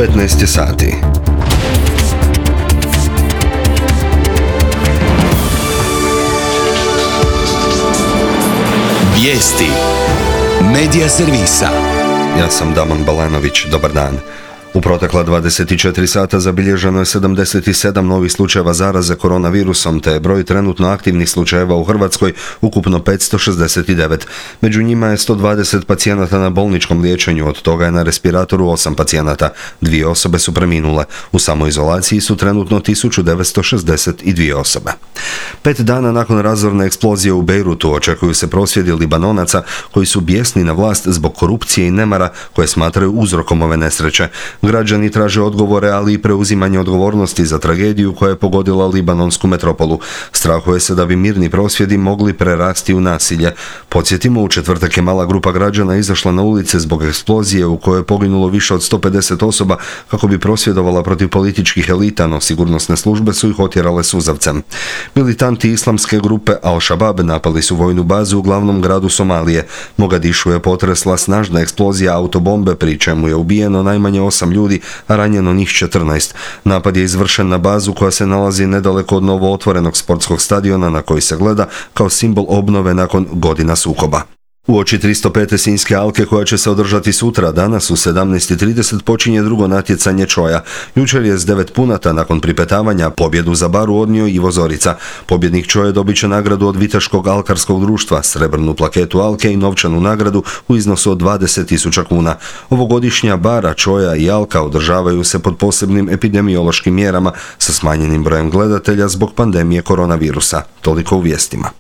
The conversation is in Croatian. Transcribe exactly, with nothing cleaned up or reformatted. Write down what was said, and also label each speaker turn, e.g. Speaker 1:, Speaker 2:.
Speaker 1: petnaest je sati.
Speaker 2: Vijesti Medija servisa.
Speaker 1: Ja sam Damon Balenović, dobar dan. U protekla dvadeset četiri sata zabilježeno je sedamdeset sedam novih slučajeva zaraze koronavirusom, te je broj trenutno aktivnih slučajeva u Hrvatskoj ukupno petsto šezdeset devet. Među njima je sto dvadeset pacijenata na bolničkom liječenju, od toga je na respiratoru osam pacijenata. Dvije osobe su preminule. U samoizolaciji su trenutno tisuću devetsto šezdeset dvije osobe. Pet dana nakon razorne eksplozije u Bejrutu očekuju se prosvjedi Libanonaca koji su bijesni na vlast zbog korupcije i nemara koje smatraju uzrokom ove nesreće. Građani traže odgovore, ali i preuzimanje odgovornosti za tragediju koja je pogodila libanonsku metropolu. Strahuje se da bi mirni prosvjedi mogli prerasti u nasilje. Podsjetimo, u četvrtak je mala grupa građana izašla na ulice zbog eksplozije u kojoj je poginulo više od sto pedeset osoba kako bi prosvjedovala protiv političkih elita, no sigurnosne službe su ih otjerale suzavcem. Militanti islamske grupe Al-Shabaab napali su vojnu bazu u glavnom gradu Somalije. Mogadišu je potresla snažna eksplozija autobombe, pri čemu je ubijeno najmanje osam ljudi, a ranjeno njih četrnaest. Napad je izvršen na bazu koja se nalazi nedaleko od novo otvorenog sportskog stadiona na koji se gleda kao simbol obnove nakon godina sukoba. Uoči tristo pete Sinjske alke koja će se održati sutra, danas u sedamnaest i trideset počinje drugo natjecanje čoja. Jučer je s devet punata nakon pripetavanja pobjedu za baru odnio Ivo Zorica. Pobjednik čoja dobit će nagradu od Viteškog alkarskog društva, srebrnu plaketu alke i novčanu nagradu u iznosu od dvadeset tisuća kuna. Ovogodišnja bara, čoja i alka održavaju se pod posebnim epidemiološkim mjerama sa smanjenim brojem gledatelja zbog pandemije koronavirusa. Toliko u vijestima.